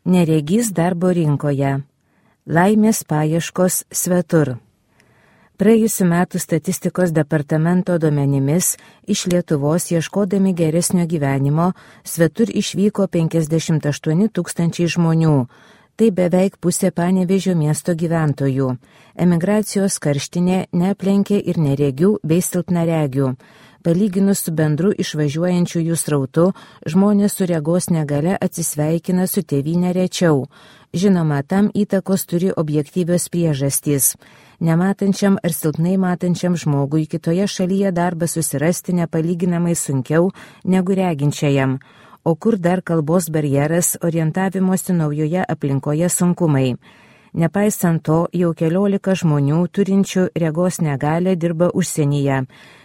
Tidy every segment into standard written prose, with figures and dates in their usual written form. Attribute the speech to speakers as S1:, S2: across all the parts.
S1: Neregys darbo rinkoje. Laimės paieškos svetur. Praėjusių metų statistikos departamento duomenimis iš Lietuvos ieškodami geresnio gyvenimo svetur išvyko 58 000 žmonių. Tai beveik pusė Panevėžio miesto gyventojų. Emigracijos karštinė neaplenkė ir neregių bei silpnaregių. Palyginus su bendru išvažiuojančiųjų srautu, žmonės su regos negale atsisveikina su tėvyne rečiau. Žinoma, tam įtakos turi objektyvios priežastys. Nematančiam ar silpnai matančiam žmogui kitoje šalyje darbą susirasti nepalyginamai sunkiau negu reginčiajam. O kur dar kalbos barjeras, orientavimosi naujoje aplinkoje sunkumai. Nepaisant to, jau 14 žmonių turinčių regos negalią dirba užsienyje.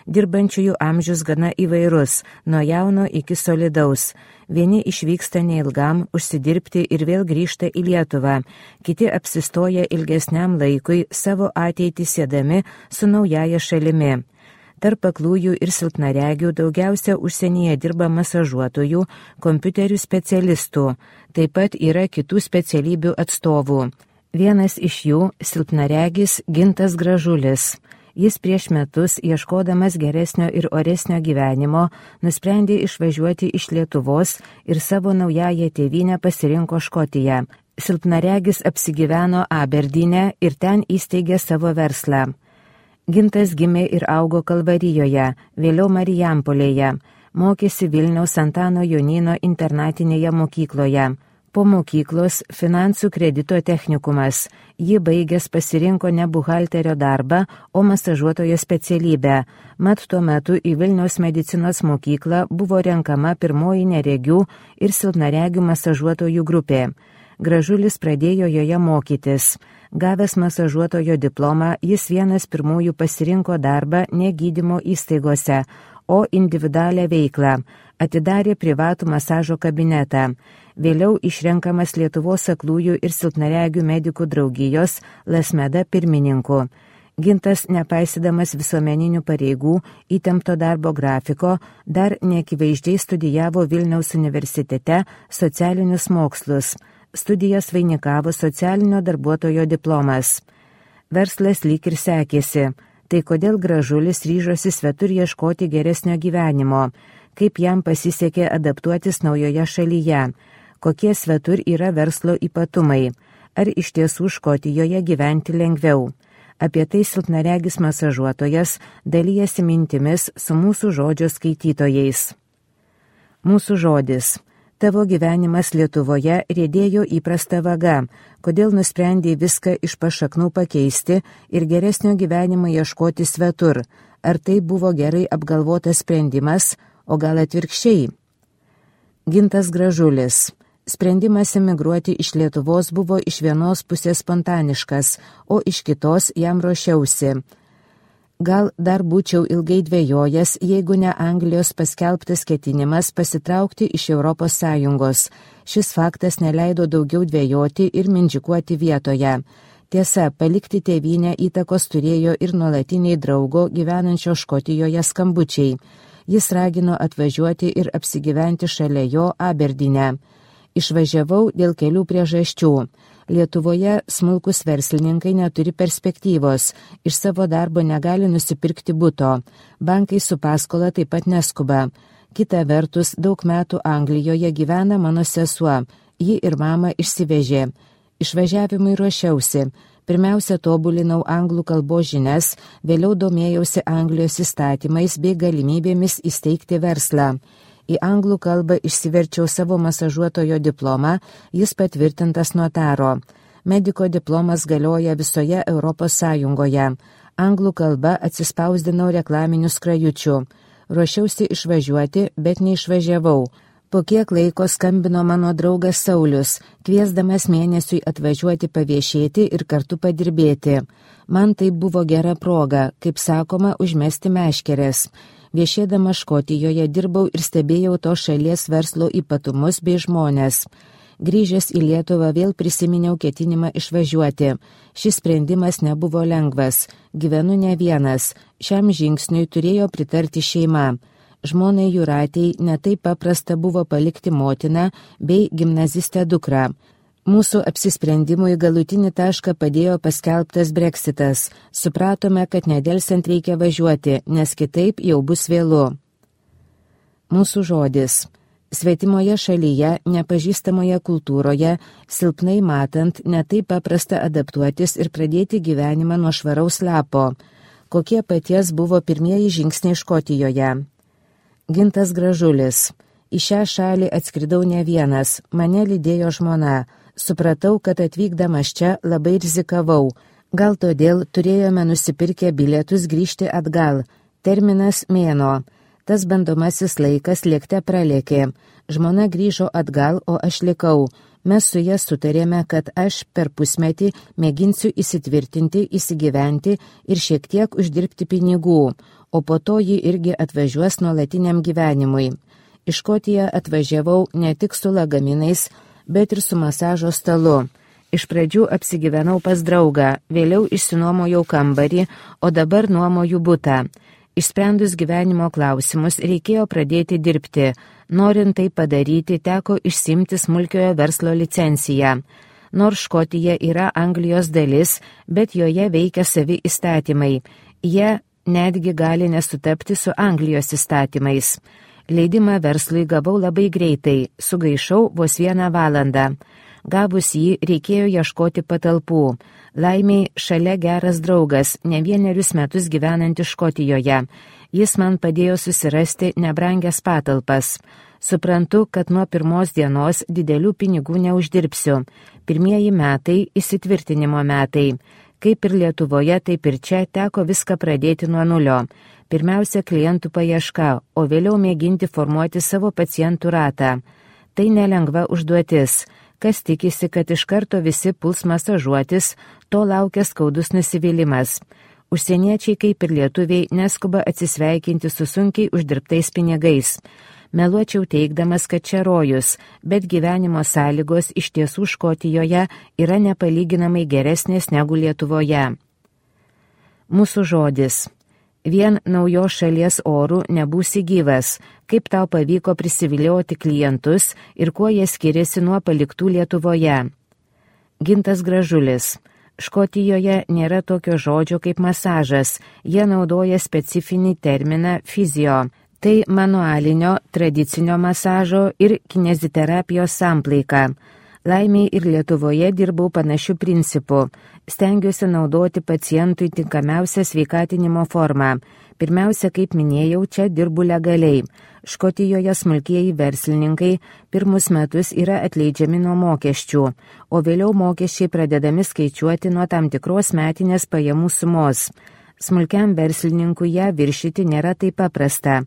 S1: Dirbančiųjų amžius gana įvairus, nuo jauno iki solidaus. Vieni išvyksta neilgam užsidirbti ir vėl grįžta į Lietuvą, kiti apsistoja ilgesniam laikui savo ateitį siedami su naujaja šalimi. Tarp aklųjų ir silpnaregių daugiausia užsienyje dirba masažuotojų, kompiuterių specialistų, taip pat yra kitų specialybių atstovų. Vienas iš jų – silpnaregis Gintas Gražulis. Jis prieš metus, ieškodamas geresnio ir oresnio gyvenimo, nusprendė išvažiuoti iš Lietuvos ir savo naująją tėvynę pasirinko Škotiją. Silpnaregis apsigyveno Aberdyne ir ten įsteigė savo verslą. Gintas gimė ir augo Kalvarijoje, vėliau Marijampolėje, mokėsi Vilniaus Antano Jonyno internatinėje mokykloje. Po mokyklos finansų kredito technikumas. Ji baigęs pasirinko ne buhalterio darbą, o masažuotojo specialybę. Mat tuo metu į Vilniaus medicinos mokyklą buvo renkama pirmoji neregių ir silpnaregių masažuotojų grupė. Gražulis pradėjo joje mokytis. Gavęs masažuotojo diplomą, jis vienas pirmųjų pasirinko darbą ne gydymo įstaigose, o individualią veiklą. Atidarė privatų masažo kabinetą. Vėliau išrenkamas Lietuvos aklųjų ir silpnaregių medikų draugijos Lasmeda pirmininku. Gintas, nepaisydamas visuomeninių pareigų, įtempto darbo grafiko, dar neakivaizdžiai studijavo Vilniaus universitete socialinius mokslus. Studijas vainikavo socialinio darbuotojo diplomas. Verslas lyg ir sekėsi. Tai kodėl Gražulis ryžosi svetur ieškoti geresnio gyvenimo? Kaip jam pasisekė adaptuotis naujoje šalyje? Kokie svetur yra verslo ypatumai? Ar iš tiesų Škotijoje gyventi lengviau? Apie tai silpnaregis masažuotojas dalijasi mintimis su mūsų žodžio skaitytojais. Mūsų žodis. Tavo gyvenimas Lietuvoje riedėjo įprasta vaga. Kodėl nusprendė viską iš pašaknų pakeisti ir geresnio gyvenimo ieškoti svetur? Ar tai buvo gerai apgalvotas sprendimas, o gal atvirkščiai? Gintas Gražulis. Sprendimas emigruoti iš Lietuvos buvo iš vienos pusės spontaniškas, o iš kitos jam ruošiausi. Gal dar būčiau ilgai dvejojęs, jeigu ne Anglijos paskelbtas ketinimas pasitraukti iš Europos Sąjungos. Šis faktas neleido daugiau dvejoti ir mindžikuoti vietoje. Tiesa, palikti tėvynę įtakos turėjo ir nuolatiniai draugo gyvenančio Škotijoje skambučiai. Jis ragino atvažiuoti ir apsigyventi šalia jo Aberdyne. Išvažiavau dėl kelių priežasčių. Lietuvoje smulkus verslininkai neturi perspektyvos, iš savo darbo negali nusipirkti buto. Bankai su paskola taip pat neskuba. Kita vertus, daug metų Anglijoje gyvena mano sesuo. Ji ir mama išsivežė. Išvažiavimui ruošiausi. Pirmiausia, tobulinau anglų kalbos žinias, vėliau domėjausi Anglijos įstatymais bei galimybėmis įsteigti verslą. Į anglų kalbą išsiverčiau savo masažuotojo diplomą, jis patvirtintas notaro. Mediko diplomas galioja visoje Europos Sąjungoje. Anglų kalba atsispausdinau reklaminių skrajučių. Ruošiausi išvažiuoti, bet neišvažiavau. Po kiek laiko skambino mano draugas Saulius, kviesdamas mėnesiui atvažiuoti paviešėti ir kartu padirbėti. Man tai buvo gera proga, kaip sakoma, užmesti meškeres. Viešėdama Škotijoje dirbau ir stebėjau to šalies verslo ypatumus bei žmonės. Grįžęs į Lietuvą vėl prisiminiau ketinimą išvažiuoti. Šis sprendimas nebuvo lengvas. Gyvenu ne vienas. Šiam žingsniui turėjo pritarti šeima. Žmonai Jūratei netai paprasta buvo palikti motiną bei gimnazistę dukrą. Mūsų apsisprendimui galutinį tašką padėjo paskelbtas Brexitas. Supratome, kad nedelsiant reikia važiuoti, nes kitaip jau bus vėlu. Mūsų žodis. Svetimoje šalyje, nepažįstamoje kultūroje, silpnai matant, netaip paprasta adaptuotis ir pradėti gyvenimą nuo švaraus lapo. Kokie paties buvo pirmieji žingsniai Škotijoje. Gintas Gražulis. Į šią šalį atskridau ne vienas, mane lydėjo žmona. Supratau, kad atvykdamas čia labai rizikavau. Gal todėl turėjome nusipirkę bilietus grįžti atgal. Terminas mėnuo. Tas bandomasis laikas lėkte pralėkė. Žmona grįžo atgal, o aš likau. Mes su ja sutarėme, kad aš per pusmetį mėginsiu įsitvirtinti, įsigyventi ir šiek tiek uždirbti pinigų, o po to ji irgi atvažiuos nuolatiniam gyvenimui. Į Škotiją atvažiavau ne tik su lagaminais, bet ir su masažo stalu. Iš pradžių apsigyvenau pas draugą, vėliau išsinuomojau kambarį, o dabar nuomoju butą. Išsprendus gyvenimo klausimus reikėjo pradėti dirbti. Norint tai padaryti, teko išsimti smulkiojo verslo licenciją. Nors Škotija yra Anglijos dalis, bet joje veikia savi įstatymai. Jie netgi gali nesutapti su Anglijos įstatymais. Leidimą verslui gavau labai greitai, sugaišau vos 1 valandą. Gavus jį, reikėjo ieškoti patalpų. Laimiai šalia geras draugas, ne 1 metus gyvenantis Škotijoje. Jis man padėjo susirasti nebrangias patalpas. Suprantu, kad nuo pirmos dienos didelių pinigų neuždirbsiu. Pirmieji metai – įsitvirtinimo metai. Kaip ir Lietuvoje, taip ir čia teko viską pradėti nuo nulio. Pirmiausia, klientų paieška, o vėliau mėginti formuoti savo pacientų ratą. Tai nelengva užduotis. Kas tikisi, kad iš karto visi puls masažuotis, to laukia skaudus nusivylimas. Užsieniečiai, kaip ir lietuviai, neskuba atsisveikinti su sunkiai uždirbtais pinigais. Meluočiau teigdamas, kad čia rojus, bet gyvenimo sąlygos iš tiesų Škotijoje yra nepalyginamai geresnės negu Lietuvoje. Mūsų žodis. Vien naujos šalies orų nebūsi gyvas, kaip tau pavyko prisivilioti klientus ir kuo jie skiriasi nuo paliktų Lietuvoje. Gintas Gražulis. Škotijoje nėra tokio žodžio kaip masažas, jie naudoja specifinį terminą fizio. Tai manualinio, tradicinio masažo ir kineziterapijos samplaika. Laimiai ir Lietuvoje dirbau panašių principų. Stengiuosi naudoti pacientui tinkamiausią sveikatinimo formą. Pirmiausia, kaip minėjau, čia dirbu legaliai. Škotijoje smulkieji verslininkai pirmus metus yra atleidžiami nuo mokesčių, o vėliau mokesčiai pradedami skaičiuoti nuo tam tikros metinės pajamų sumos. Smulkiam verslininkui ją viršyti nėra taip paprasta.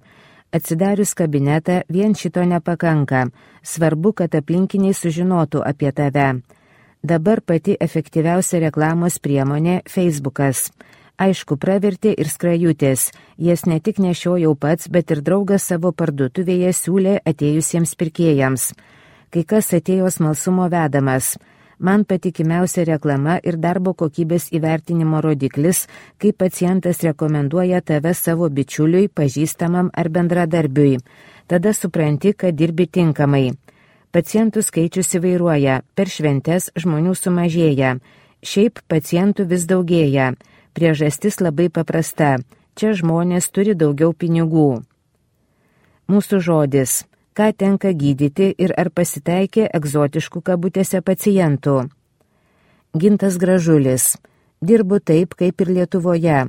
S1: Atsidarius kabinetą vien šito nepakanka. Svarbu, kad aplinkiniai sužinotų apie tave. Dabar pati efektyviausia reklamos priemonė – Facebookas. Aišku, pravertė ir skrajutės. Jas ne tik nešiojau pats, bet ir draugas savo parduotuvėje siūlė atėjusiems pirkėjams. Kai kas atėjo smalsumo vedamas. Man patikimiausia reklama ir darbo kokybės įvertinimo rodiklis, kai pacientas rekomenduoja tave savo bičiuliui, pažįstamam ar bendradarbiui. Tada supranti, kad dirbi tinkamai. Pacientų skaičius įvairuoja, per šventes žmonių sumažėja. Šiaip pacientų vis daugėja. Priežastis labai paprasta. Čia žmonės turi daugiau pinigų. Mūsų žodis. Ką tenka gydyti ir ar pasitaikė egzotiškų kabutėse pacientų. Gintas Gražulis. Dirbu taip, kaip ir Lietuvoje.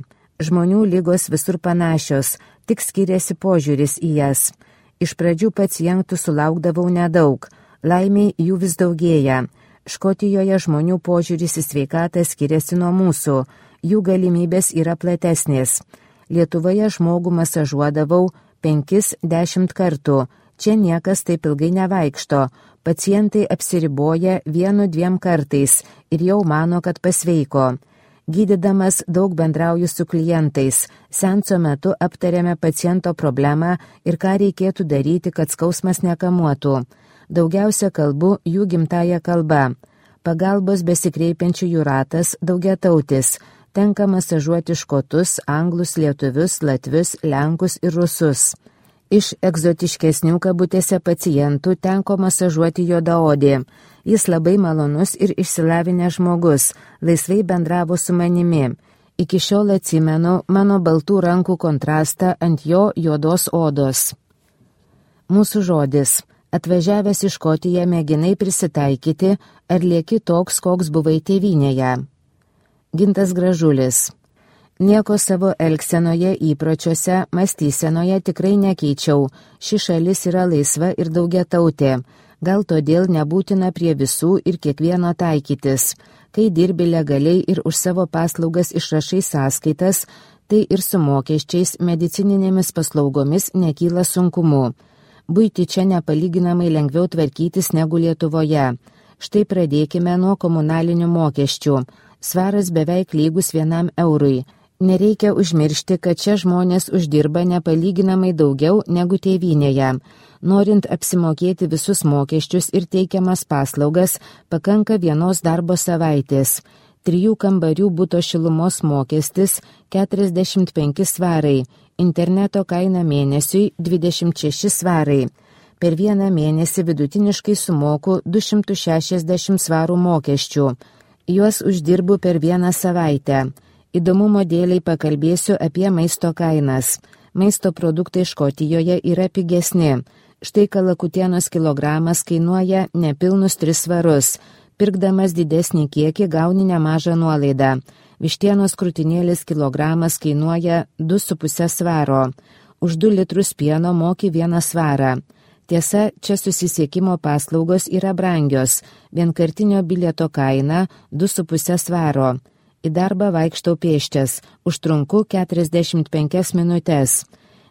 S1: Žmonių lygos visur panašios, tik skiriasi požiūris į jas. Iš pradžių pacientų sulaukdavau nedaug, laimiai jų vis daugėja. Škotijoje žmonių požiūris į sveikatą skiriasi nuo mūsų, jų galimybės yra platesnės. Lietuvoje žmogų masažuodavau 5-10 kartų. Čia niekas taip ilgai nevaikšto, pacientai apsiriboja 1-2 kartais ir jau mano, kad pasveiko. Gydydamas daug bendrauju su klientais, seanso metu aptarėme paciento problemą ir ką reikėtų daryti, kad skausmas nekamuotų. Daugiausia kalbu jų gimtąją kalbą. Pagalbos besikreipiančių jų ratas daugiatautis. Tenka masažuoti škotus, anglus, lietuvius, latvius, lenkus ir rusus. Iš egzotiškesnių kabutėse pacientų tenko masažuoti juodaodį. Jis labai malonus ir išsilavinęs žmogus, laisvai bendravo su manimi. Iki šiol atsimenu mano baltų rankų kontrastą ant jo juodos odos. Mūsų žodis. Atvažiavęs į Škotiją mėginai prisitaikyti, ar lieki toks, koks buvai tėvynėje. Gintas Gražulis. Nieko savo elgsenoje, įpročiuose, mąstysenoje tikrai nekeičiau. Ši šalis yra laisva ir daugiatautė. Gal todėl nebūtina prie visų ir kiekvieno taikytis. Kai dirbi legaliai ir už savo paslaugas išrašai sąskaitas, tai ir su mokesčiais, medicininėmis paslaugomis nekyla sunkumu. Buitį čia nepalyginamai lengviau tvarkytis negu Lietuvoje. Štai pradėkime nuo komunalinių mokesčių. Svaras beveik lygus 1 eurui. Nereikia užmiršti, kad čia žmonės uždirba nepalyginamai daugiau negu tėvynėje. Norint apsimokėti visus mokesčius ir teikiamas paslaugas, pakanka 1 darbo savaitės. 3 kambarių buto šilumos mokestis 45 svarai, interneto kaina mėnesiui 26 svarai. Per 1 mėnesį vidutiniškai sumoku 260 svarų mokesčių. Juos uždirbu per 1 savaitę. Įdomumo dėliai pakalbėsiu apie maisto kainas. Maisto produktai Škotijoje yra pigesni. Štai kalakutienos kilogramas kainuoja nepilnus 3 svarus. Pirkdamas didesnį kiekį gauni nemažą nuolaidą. Vištienos krūtinėlis kilogramas kainuoja 2,5 svaro. Už 2 litrus pieno moki 1 svarą. Tiesa, čia susisiekimo paslaugos yra brangios. Vienkartinio bilieto kaina 2,5 svaro. Į darbą vaikštau pėsčias, užtrunku 45 minutės.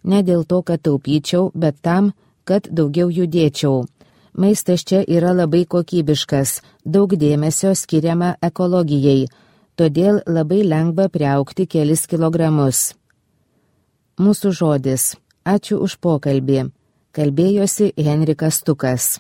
S1: Ne dėl to, kad taupyčiau, bet tam, kad daugiau judėčiau. Maistas čia yra labai kokybiškas, daug dėmesio skiriama ekologijai, todėl labai lengva priaugti kelis kilogramus. Mūsų žodis. Ačiū už pokalbį. Kalbėjosi Henrikas Stukas.